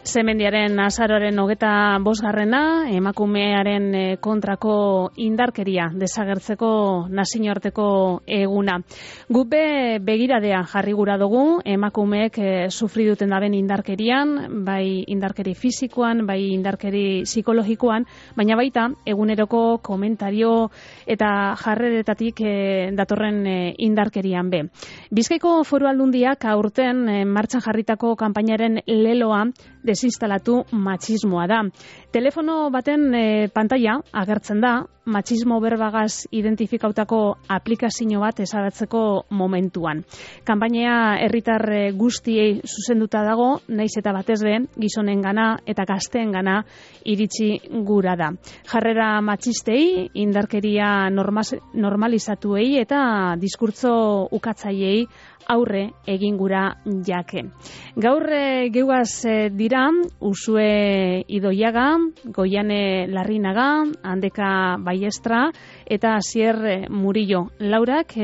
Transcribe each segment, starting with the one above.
Zemendiaren azaroaren 25. emakumearen kontrako indarkeria desagertzeko nazioarteko eguna. Gupe begiradea jarri gura dugu emakumeek sufri duten daben indarkerian, bai indarkeri fisikoan, bai indarkeri psikologikoan, baina baita eguneroko komentario eta jarreretatik datorren indarkerian be. Bizkaiko Foru Aldundiak aurten martxan jarritako kanpainaren leloa desinstalatu matxismoa da. Telefono baten pantaila agertzen da, matxismo berbagaz identifikautako aplikazio bat ezabatzeko momentuan. Kanpainea herritar guztiei zuzenduta dago, naiz eta batez be gizonengana eta gazteengana iritsi gura da. Jarrera matxistei, indarkeria normalizatuei eta diskurtso ukatzaileei aurre egin gura jake. Gaur geugaz dira Usue Idoiaga, Goiane Larrinaga, Andeka Baiestra eta Asier Murillo. Laurak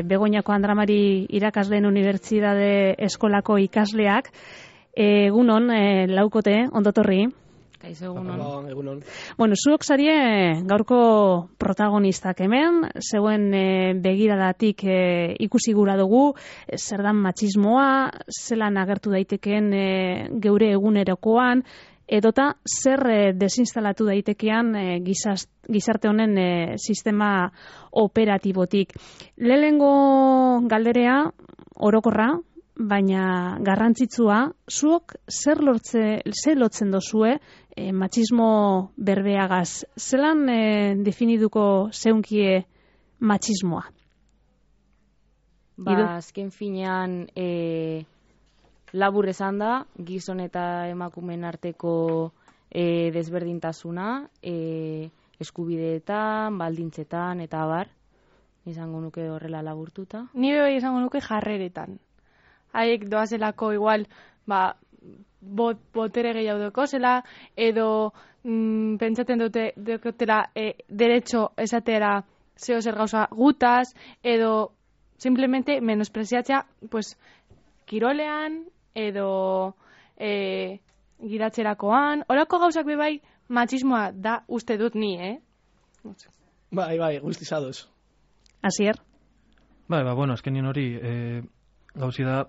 Begoñako Andramari irakasleen unibertsitate eskolako ikasleak. Egunon, laukote, ondotorri. Kaixo, egunon. Bueno, zuok zarie gaurko protagonistak hemen, zeuen begiradatik ikusi gura dugu, zer dan matxismoa, zelan agertu daitekeen geure egunerokoan, edota zer desinstalatu daitekean gizarte honen sistema operatibotik. Lehenengo galderea orokorra, baina garrantzitsua, zuok zer lotzen dozue matxismo berbeagaz? Zelan definiduko zeunkie matxismoa? Azken finean labur esan da, gizon eta emakumeen arteko desberdintasuna, eskubideetan, baldintzetan, eta abar, izango nuke horrela laburtuta. Ni bai izango nuke jarreretan. Haiek doazelako igual, botere gehiago dekozela, edo pentsaten dutela derecho esatera zeo zer gauza gutaz, edo simplemente menospreziatzea, pues, kirolean, edo gidatzerakoan, horako gauzak bebai matxismoa da uste dut ni, Bai, guztizadoz. Asier? Bueno, azkenien hori gauzi da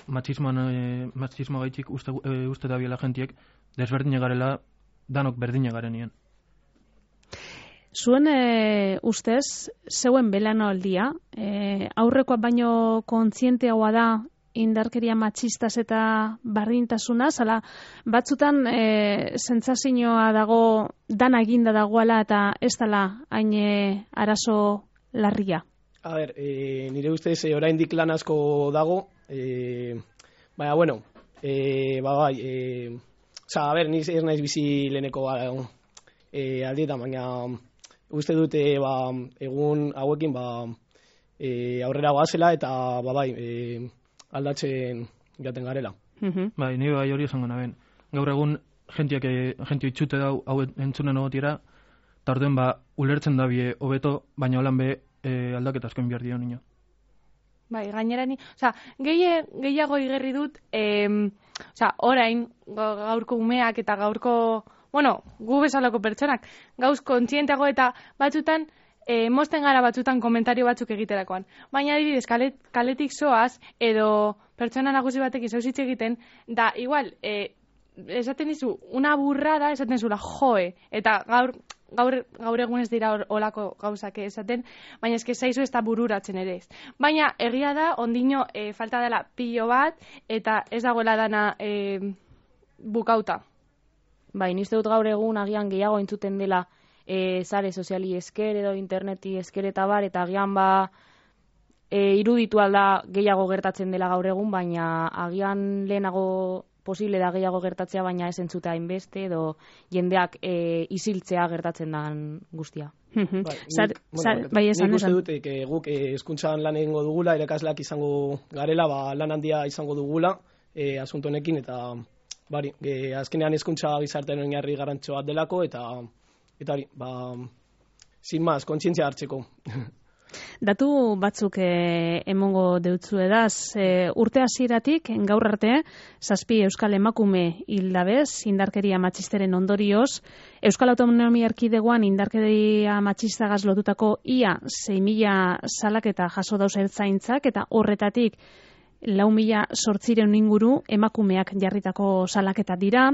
matxismoa gaitxik uste da biela jentiek desberdine garela danok berdine garenien. Zuen ustez, zeuen belanoaldia, aurrekoa baino kontzienteagoa da indarkeria matxistaz eta bardintasunaz, ala batzutan sentsazioa dago dana eginda dagoela eta ez dela hain arazo larria. A ber, nire ustez oraindik lan asko dago, baina, bueno, a ber, ni ez naiz bizi leheneko aldietan, baina uste dute egun hauekin aurrera goazela eta aldatzen jaten garela. Bai, nire bai hori esango naben. Gaur egun jentio itxute dau hau entzunen ogotiera, eta orduen ulertzen dabie hobeto, baina holan be aldaketa askoin behar dio nino. Bai, gainera ni, gehiago igerri dut, orain gaurko umeak eta gaurko, gu bezalako pertsonak, gauz kontzienteago eta batzutan, mozten gara batzutan komentario batzuk egiterakoan. Baina adibidez, kaletik zoaz, edo pertsona nagusi batek izauzitze egiten, da igual, esaten dizu, una burrada, esaten zula, joe, eta gaur egun ez dira olako gauzak esaten, baina eske zaizu ez da bururatzen ere ez. Baina egia da, ondino falta dela pilo bat, eta ez dagoela dana bukauta. Bai, nizte dut gaur egun agian gehiago entzuten dela sare soziali esker edo interneti esker eta bar, eta agian iruditu alda gehiago gertatzen dela gaur egun, baina agian lehenago posible da gehiago gertatzea, baina ez entzutea hainbeste edo jendeak isiltzea gertatzen den guztia. Nik uste dut guk hezkuntzan lan egingo dugula, irakasleak izango garela, lan handia izango dugula asunto honekin, eta azkenean hezkuntza gizartean oinarri garrantzitsu bat delako, eta hori, sin más, kontzientzia hartzeko. Datu batzuk emongo deutzu edaz, urte hasieratik gaur arte, 7 euskal emakume hildabez, indarkeria matxisteren ondorioz, Euskal Autonomia Erkidegoan indarkeria matxistagaz lotutako ia 6.000 salaketa jaso dauz ertzaintzak, eta horretatik 4.800 inguru emakumeak jarritako salaketa dira.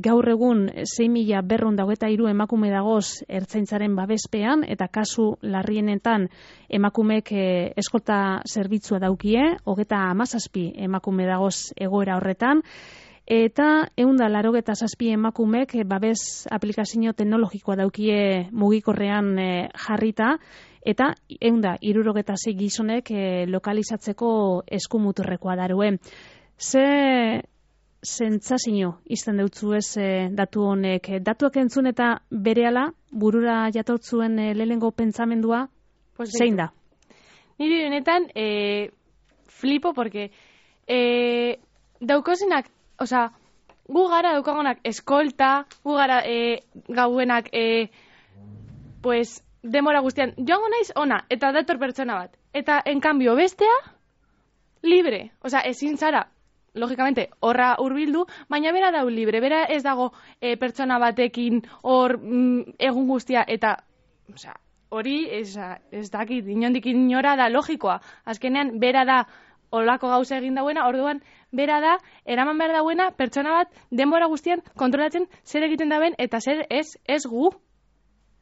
Gaur egun 6.223 emakume dagoz ertzaintzaren babespean, eta kasu larrienetan emakumeek eskolta zerbitzua daukie, 37 emakume dagoz egoera horretan, eta 187 emakumeek babes aplikazio teknologikoa daukie mugikorrean jarrita, eta 176 gizonek lokalizatzeko eskumuturrekoa darue. Ze sentsazio izten deutzu ez datu honek? Datuak entzun eta berehala burura jatortzuen lehenengo pentsamendua zein da? Niri benetan flipo, porque daukozenak, osea, gu gara daukagonak eskolta, gu gara gauenak pues demora guztian, joango naiz ona, eta dator pertsona bat. Eta, en cambio, bestea, libre. Osea, ezin zara, logikamente, horra hurbildu, baina bera dau libre, bera ez dago pertsona batekin hor egun guztia, eta, osea, hori ez dakit, inondik inora da logikoa. Azkenean, bera da olako gauza egin dauena, orduan, bera da, eraman behar dauena, pertsona bat denbora guztian kontrolatzen zer egiten daben, eta zer ez gu.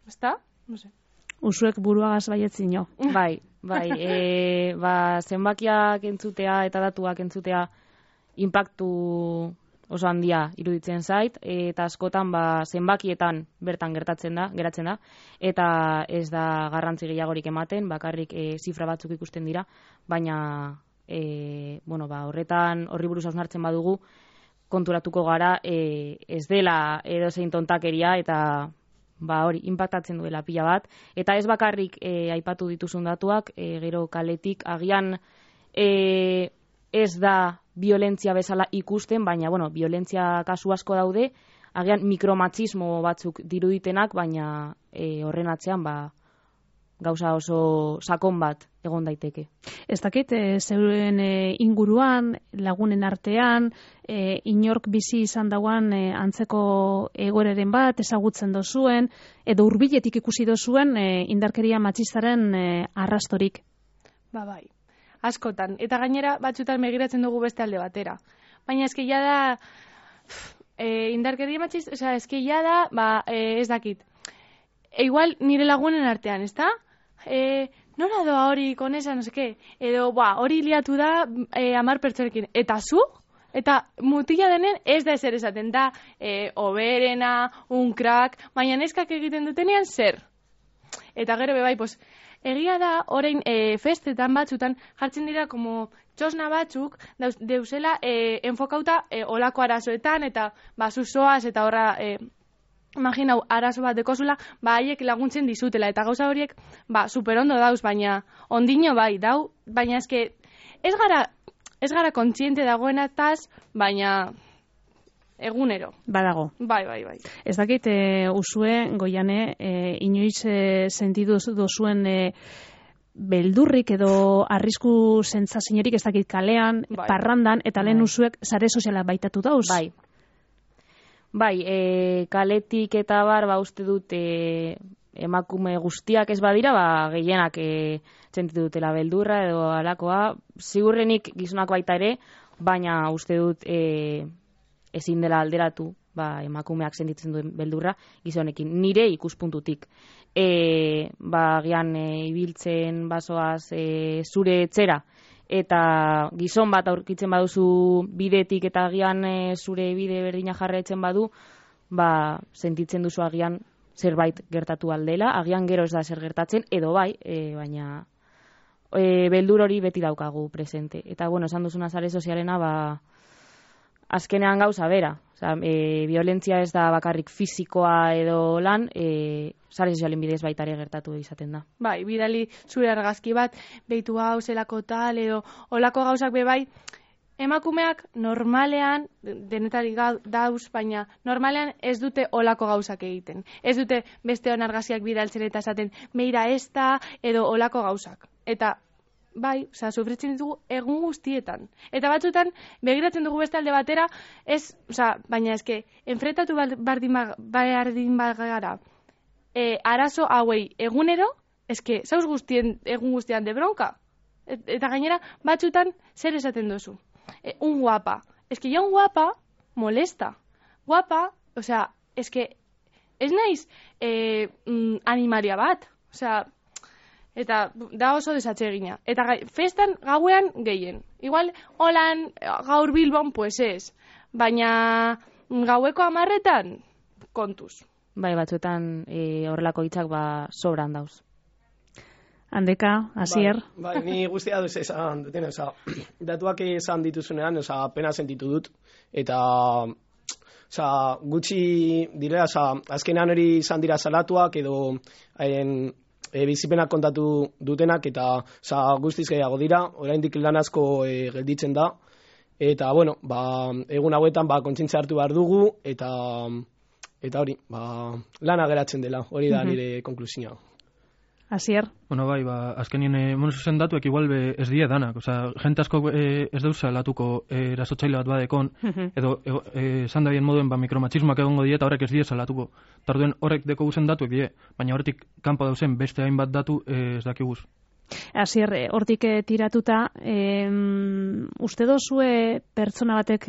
Ezta? No sé. Usuek buruagaz baietzino. Bai. Zenbakiak entzutea eta datuak entzutea inpaktu oso handia iruditzen zait, eta askotan zenbakietan bertan geratzen da, eta ez da garrantzi gehiagorik ematen, bakarrik zifra batzuk ikusten dira, baina horri buruz hausnartzen badugu, konturatuko gara ez dela edozein tontakeria, eta hori, inpaktatzen duela pila bat. Eta ez bakarrik aipatu dituzun datuak, gero kaletik agian ez da violentzia bezala ikusten, baina, violentzia kasu asko daude, agian mikromatxismo batzuk diruditenak, baina horren atzean, gauza oso sakon bat egon daiteke. Ez dakit, zeuren inguruan, lagunen artean, inork bizi izan dauan antzeko egoeraren bat, ezagutzen dozuen, edo hurbiletik ikusi dozuen indarkeria matxistaren arrastorik. Bai, askotan. Eta gainera batzutan begiratzen dugu beste alde batera. Baina eskeia da, indarkeria matxist, eskeia da, ez dakit. Igual nire lagunen artean, ezta? Nora doa hori konesa, no seke, edo hori liatu da 10 pertsonekin, eta zu? Eta mutila denen ez da ezer esaten da, oberena, un crack, baina neskak egiten dutenean zer. Eta gero bebai, egia da, orain festetan batzutan jartzen dira como txosna batzuk deuzela enfokauta olako arazoetan, eta zuzoaz, eta horra... Imaginau, arazo bat dekozula, haiek laguntzen dizutela, eta gauza horiek, superondo dauz, baina ondino bai, baina eske, ez gara kontziente dagoenataz, baina egunero. Badago. Bai. Ez dakit, usue, Goiane, inoiz sentidu dozuen beldurrik edo arrisku sentsaziorik, ez dakit, kalean, parrandan, eta lehen usuek sare sozialak baitatu dauz. Bai, kaletik eta uste dut emakume guztiak ez badira, gehienak sentitu dutela beldurra edo alakoa. Ziurrenik gizonak baita ere, baina uste dut ezin dela alderatu emakumeak sentitzen duen beldurra gizonekin. Nire ikuspuntutik. Gian ibiltzen basoaz zure etxera, eta gizon bat aurkitzen baduzu bidetik eta agian zure bide berdina jarraitzen badu, sentitzen duzu agian zerbait gertatu aldela, agian gero ez da zer gertatzen, edo baina beldur hori beti daukagu presente. Eta, esan duzuna sare sozialena, azkenean gauza bera. Violentzia ez da bakarrik fisikoa edo lan, sare sozialen bidez baita ere gertatu izaten da. Bai, bidali zure argazki bat, behitu hau, zelako tal, edo olako gauzak bebai, emakumeak normalean, denetarik dauz, baina normalean ez dute olako gauzak egiten. Ez dute beste onargaziak bidaltzen eta esaten, meira ez da, edo olako gauzak. Eta bai, sufritzen ditugu egun guztietan. Eta batzutan, begiratzen dugu beste alde batera, baina eske, enfrentatu bardin bagara, arazo hauei egunero, eske, zauz egun guztian de bronka. Eta gainera, batzutan, zer esaten duzu? Un guapa. Eske, ya un guapa molesta. Guapa, eske, ez naiz animaria bat. Eta da oso desatsegina. Eta festan gauean gehien. Igual, holan, gaur Bilbon, pues ez. Baina gaueko 10etan, kontuz. Bai, batzuetan horrelako hitzak sobran dauz. Handeka, Asier. Bai, ni guztia duz esan duten, datuak esan dituzunean, pena sentitu dut. Eta, gutxi direla, azkenean hori izan dira salatuak edo bizipenak kontatu dutenak, eta guztiz gehiago dira, oraindik lan asko gelditzen da, eta, bueno, egun hauetan kontzientzia hartu behar dugu, eta hori, lana geratzen dela, hori da nire konklusioa. Asier? Bueno, bai, azkenien monuzuzen datuek igual ez die danak, jente asko ez deusa latuko erasotzaile bat badekon, edo esan dabien moduen mikromatxismoak egongo die eta horrek ez die salatuko. Tarduen horrek deko guzen datuek die, baina horretik kanpo dauzen beste hainbat datu ez dakiguz. Asier, hortik tiratuta, uste dozue pertsona batek,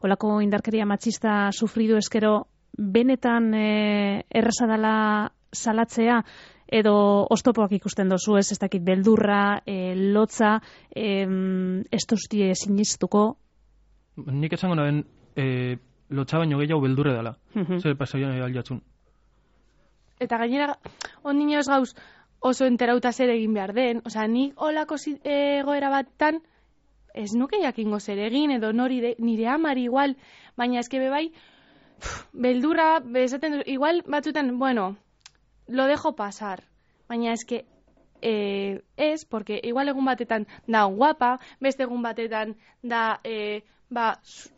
olako indarkeria matxista sufridu eskero, benetan erraza dela salatzea, edo oztopoak ikusten dozu, ez dakit beldurra, lotza, ez duztie sinistuko? Nik esango naben, lotza baino gehiago beldurre dela. Zer pasaia aldatzun. Eta gainera, ondino ez gauz oso enterauta zer egin behar den, nik olako egoera batan, ez nuke jakingo zer egin, edo nire amari igual, baina eske bai, beldurra, bezaten, igual batzutan, bueno, lo dejo pasar, baina eske ez, porque igual egun batetan da guapa, beste egun batetan da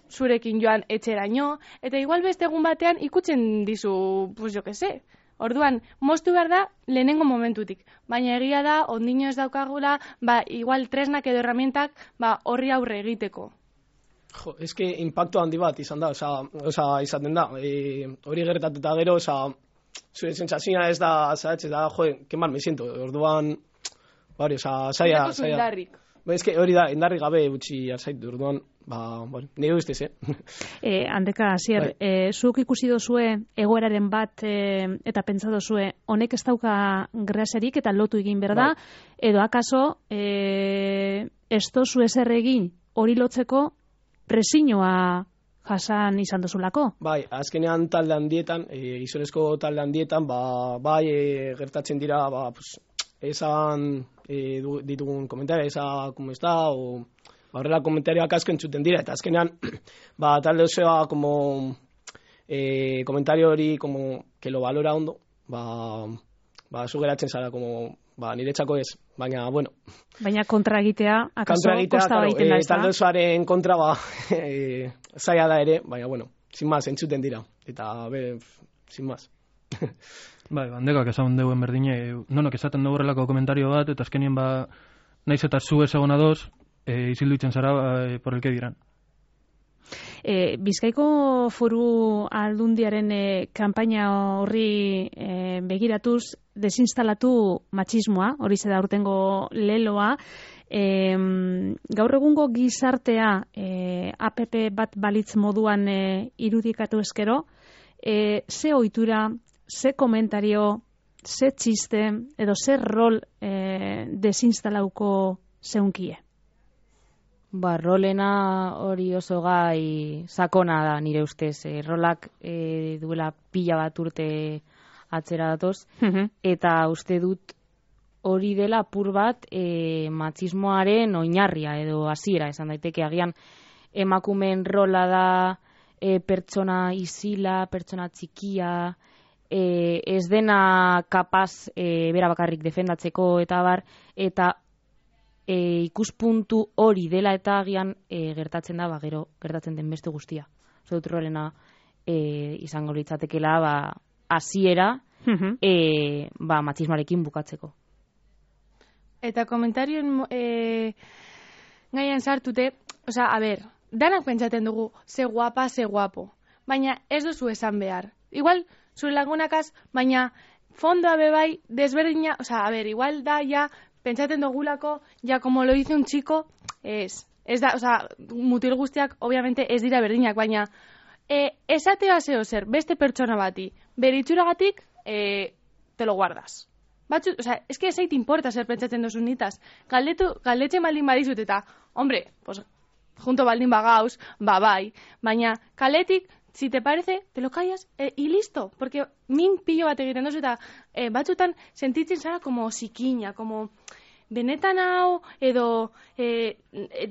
zurekin joan etxeraino, eta igual beste egun batean ikutzen dizu, pues jo que sé. Orduan, moztu behar da lehenengo momentutik, baina egia da, ondino ez daukagula, igual tresnak edo herramientak horri aurre egiteko. Jo, eske impacto handi bat izan da, izaten da, hori gertatuta gero, zure sentsazioa ez da, que mal me siento, orduan, saia. Eske hori da, indarrik gabe utzi zaitu, orduan, nire ustez, Handeka, Asier, zuk ikusi dozue egoeraren bat eta pentsa dozue, honek ez dauka graserik eta lotu egin berda, edo akaso, ez dozu ezer egin hori lotzeko presiñoa jasan izan duzulako? Bai, azkenean talde handietan, gizonezko talde handietan, gertatzen dira, esan ditugun komentario, esa como está, o horrela komentarioak asko entzuten dira, eta azkenean, talde osoa, komentario hori, que lo valora ondo, zu geratzen zara, niretzako ez, baina, bueno. Baina kontra egitea, akaso kosta baiten da, ez da? Talde osoaren kontra, zaila da ere, baina, bueno, sin más, entzuten dira, eta, sin más. Bai, bandekak esan deuen berdine, nonok esaten dugu horrelako komentario bat, eta azkenien naiz eta zu ez egona doz, izildu itzen zara por el que dirán. Bizkaiko Foru Aldundiaren kanpaina horri begiratuz, desinstalatu matxismoa, hori zeda urtengo leloa, gaur egungo gizartea APP bat balitz moduan irudikatu eskero, ze ohitura, ze komentario, ze txiste, edo ze rol desinstalauko zeunkie? Rolena hori oso gai sakona da nire ustez. Rolak duela pila bat urte atzera datoz, eta uste dut hori dela apur bat matxismoaren oinarria edo hasiera esan daiteke. Agian emakumeen rola da pertsona isila, pertsona txikia, ez dena kapaz bera bakarrik defendatzeko eta bar, eta ikuspuntu hori dela eta agian gertatzen da, gero gertatzen den beste guztia. Uste dut horrena izango litzatekela, hasiera matxismarekin bukatzeko. Eta komentarioen gaian sartute, a ber, danak pentsaten dugu, ze guapa, ze guapo. Baina ez duzu esan behar. Igual, zure lagunakaz, baina fondoa bebai desberdina, a ber, igual da, ja, pentsaten dugulako, ja, como lo dice un chico, ez da, mutil guztiak, obviamente, ez dira berdinak, baina esatea zeo zer, beste pertsona bati, beritxuragatik, te lo guardas. Batzu, es que ezait importa zer pentsatzen duzun nitaz. Galdetzen baldin badizut eta, hombre, pues, junto baldin bagauz, bai, baina kaletik, si te parece, te lo callas y listo, porque min pillo bat egiten duzu eta batzutan sentitzen zara como sikiña, como benetan hau, edo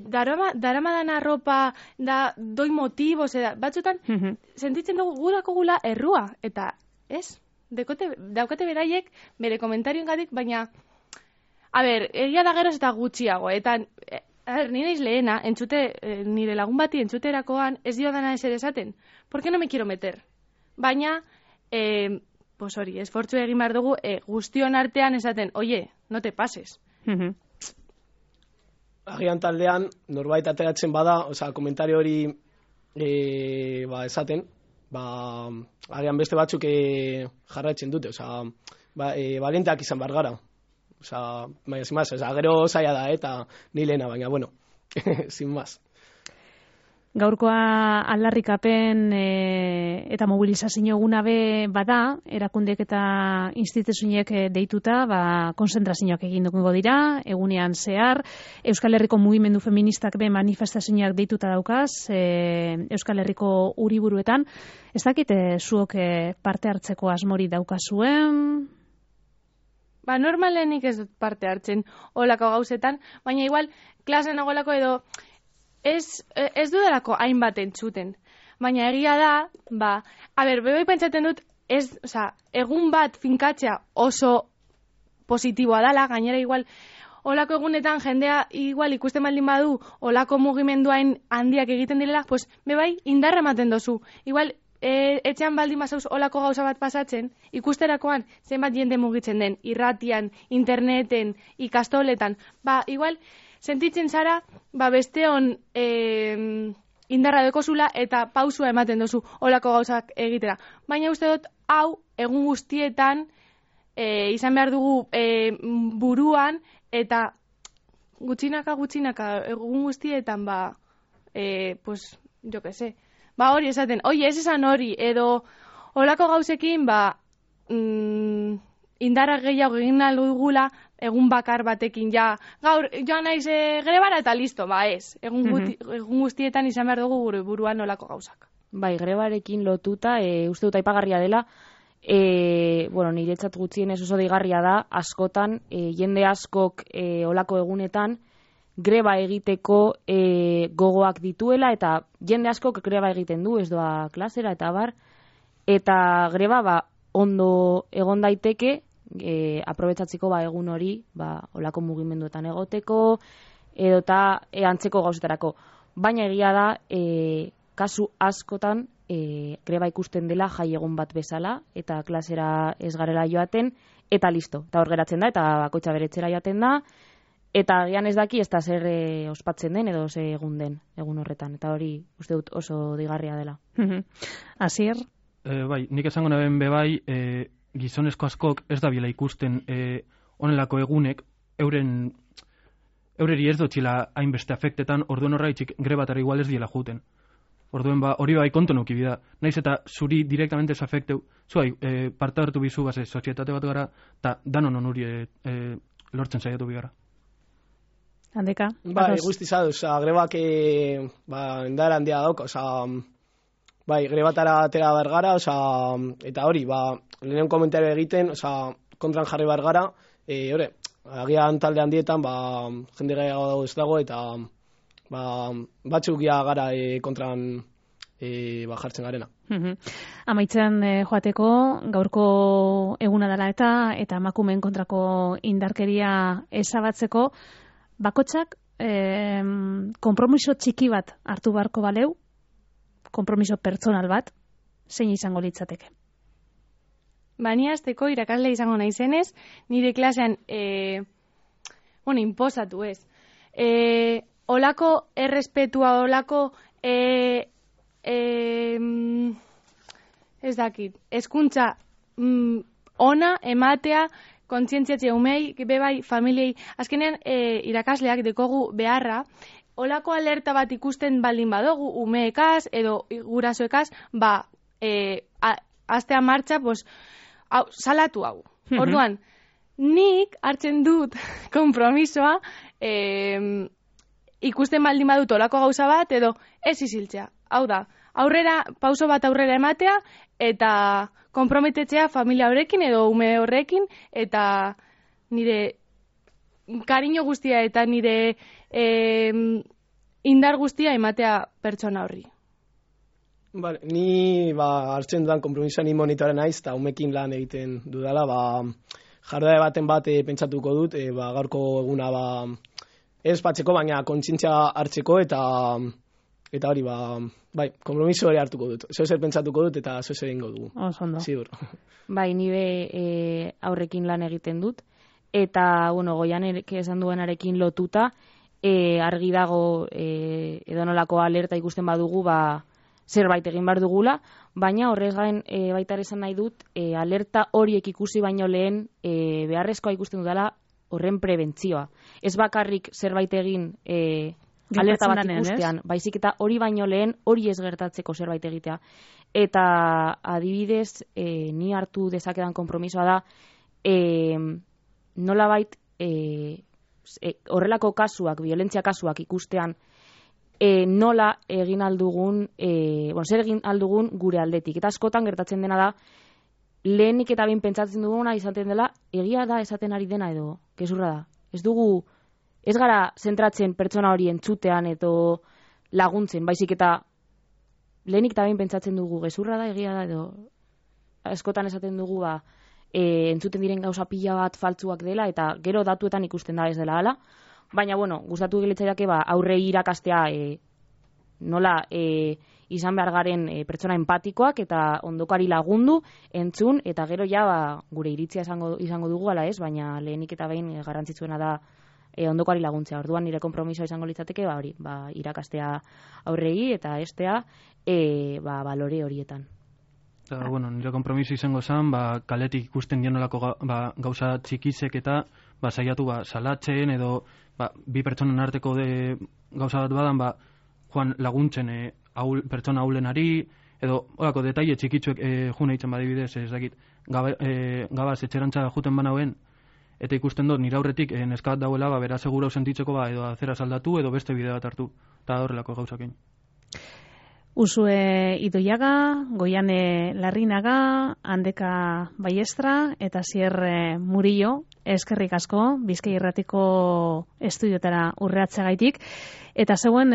daramadan arropa, doi motivos, batzutan sentitzen dugu gurako gula errua, eta ez? Daukate beraiek bere komentarioen gatik, baina a ber, egia da geroz eta gutxiago, eta ni naiz lehena, nire lagun bati entzuterakoan ez dio dana ezer esaten. ¿Por qué no me quiero meter? Baina, pues hori, esfortzu egin behar dugu guztion artean esaten, oye, no te pases. Agian taldean, norbait ateratzen bada, komentario hori esaten, agian beste batzuk jarraitzen dute, valienteak izan behar gara. Gero zaila da, eta ni lehena, baina, bueno, sin más. Gaurkoa aldarrikapen eta mobilizazio eguna be bada, erakundek eta instituzioek deituta, konzentrazioak egin dugu dira, egunean zehar, Euskal Herriko mugimendu feministak be manifestazioak deituta daukaz, Euskal Herriko uriburuetan. Ez dakit zuok parte hartzeko asmori daukazuen? Normalenik ez dut parte hartzen olako gauzetan, baina igual klasen agolako edo ez dudalako hainbat entzuten. Baina egia da, bebai pentsaten dut, egun bat finkatzea oso positiboa dala, gainera igual, olako egunetan jendea igual ikusten baldin badu, olako mugimenduain handiak egiten direla, pues bebai indarra ematen dozu. Igual, etxean baldin bazauz olako gauza bat pasatzen, ikusterakoan zenbat jende mugitzen den, irratian, interneten, ikastoletan, igual, sentitzen zara, besteon indarra dekozula eta pausua ematen dozu olako gauzak egitera. Baina uste dut, hau, egun guztietan, izan behar dugu buruan, eta gutxinaka, egun guztietan, pues, jo que sé, hori esaten, ez esan hori, edo olako gauzekin, indarra gehiago egin nahi dugula, egun bakar batekin, gaur, joan naiz grebara eta listo, ez. Egun guztietan izan behar dugu gure buruan olako gauzak. Grebarekin lotuta, uste dut aipagarria dela, niretzat gutxienez oso deigarria da, askotan, jende askok olako egunetan, greba egiteko gogoak dituela, eta jende askok greba egiten du, ez doa klasera, eta bar, eta greba ondo egon daiteke, aprobetsatzeko egun hori, olako mugimenduetan egoteko, edota antzeko gauzetarako. Baina egia da, kasu askotan, greba ikusten dela jai egun bat bezala, eta klasera ez garela joaten, eta listo, eta hor geratzen da, eta bakoitza beretzera joaten da, eta agian ez daki ez da zer ospatzen den edo ze egun den egun horretan, eta hori uste dut oso digarria dela. Asier? Nik esango naben bebai, gizonezko askok ez da bila ikusten onelako egunek, eureri ez dutxila hainbeste afektetan, orduen horraitxik grebatara igual ez diela juten. Orduen hori bai konto nuki bida. Naiz eta zuri direktamente ez afekteu, zuai parte hartu bizu sozietate bat gara, eta danon onuri lortzen saiatu bigara. Handeka? Guztiza duz, grebak indar handia dauk, grebatara atera behar gara, eta hori, lehenen komentario egiten, kontran jarri behar gara, agian talde handietan, jende gehiago ez dago, eta batzuk gara kontran jartzen garena. Amaitzen joateko, gaurko eguna dela eta emakumeen kontrako indarkeria ezabatzeko, bakotxak konpromiso txiki bat hartu beharko baleu, konpromiso pertsonal bat, zein izango litzateke? Bani azteko irakasle izango naizenez, nire klasean, inposatu ez. Olako errespetua, olako ez dakit, hezkuntza ona ematea, kontzientziatzea umei, bebai, familiei, azkenean irakasleak dekogu beharra, olako alerta bat ikusten baldin badogu, umeekaz edo gurasoekaz, astea martxa, salatu hau. Orduan, nik hartzen dut konpromisoa, ikusten baldin badut olako gauza bat, edo ez iziltzea. Hau da, pauso bat aurrera ematea, eta konprometetzea familia horrekin edo ume horrekin, eta nire kariño guztia eta nire indar guztia ematea pertsona horri. Vale, ni hartzen dudan konpromisoa ni monitore naiz, eta umekin lan egiten dudala, jarduera baten bat pentsatuko dut, gaurko eguna ez batzeko, baina kontzientzia hartzeko, eta hori, konpromiso hori hartuko dut. Zer pentsatuko dut, eta zer egingo dugu. Osondo. Sigur. Bai, nire aurrekin lan egiten dut, eta, Goianek esan duenarekin lotuta, argi dago edonolako alerta ikusten badugu, zerbait egin behar dugula, baina horrez gain baita ere esan nahi dut, alerta horiek ikusi baino lehen beharrezkoa ikusten dudala horren prebentzioa. Ez bakarrik zerbait egin alerta bat ikustean, baizik eta hori baino lehen hori ez gertatzeko zerbait egitea. Eta adibidez, ni hartu dezakedan konpromisoa da, nolabait horrelako kasuak, violentzia kasuak ikustean, nola egin aldugun, zer egin aldugun gure aldetik. Eta askotan gertatzen dena da, lehenik eta behin pentsatzen duguna izaten dela, egia da esaten ari dena edo, gezurra da. Ez gara zentratzen pertsona hori entzutean edo laguntzen, baizik eta lehenik eta behin pentsatzen dugu gezurra da, egia da edo, askotan esaten dugu entzuten diren gauza pila bat faltzuak dela, eta gero datuetan ikusten da ez dela hala. Baina, gustatu gilitzaiake aurrei irakastea nola izan behar garen pertsona empatikoak eta ondokari lagundu, entzun, eta gero gure iritzia izango dugu ala ez, baina lehenik eta behin garrantzitsuena da ondokari laguntzea. Orduan nire konpromisoa izango litzateke irakastea aurrei eta estea balore horietan. Nire konpromiso izango zen, kaletik ikusten dienolako gauza txikizek eta saiatu salatzen edo bi pertsonen arteko gauza bat badan joan laguntzen pertsona ahulenari edo horako detaile txikitzuek june hitzen badibidez, ez dakit gabaz etxerantza juten banauen eta ikusten dut nire aurretik neska bat dauela bera segura sentitzeko edo azera saldatu edo beste bide bat hartu eta horrelako gauzakin. Usue Idoiaga, Goiane Larrinaga, Handeka Baiestra eta Zier Murillo, eskerrik asko, Bizkai Irratiko estudiotara urreatzegaitik. Eta zeuen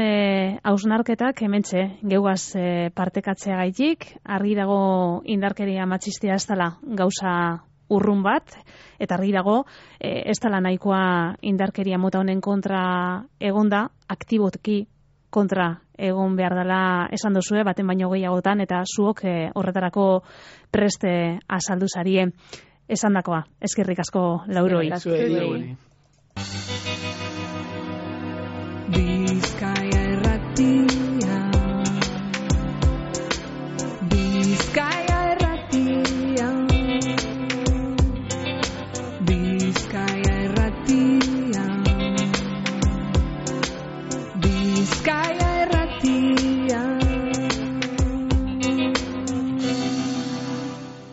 hausnarketak hementxe geugaz partekatzeagaitik, argi dago indarkeria matxistia ez dela gauza urrun bat, eta argi dago ez dela nahikoa indarkeria mota honen kontra egonda, aktiboki kontra egon behar dela esan dozue, baten baino gehiagotan, eta zuok horretarako preste azaldu zarie. Esan dakoa, eskerrik asko lauroi. Eskerrik asko.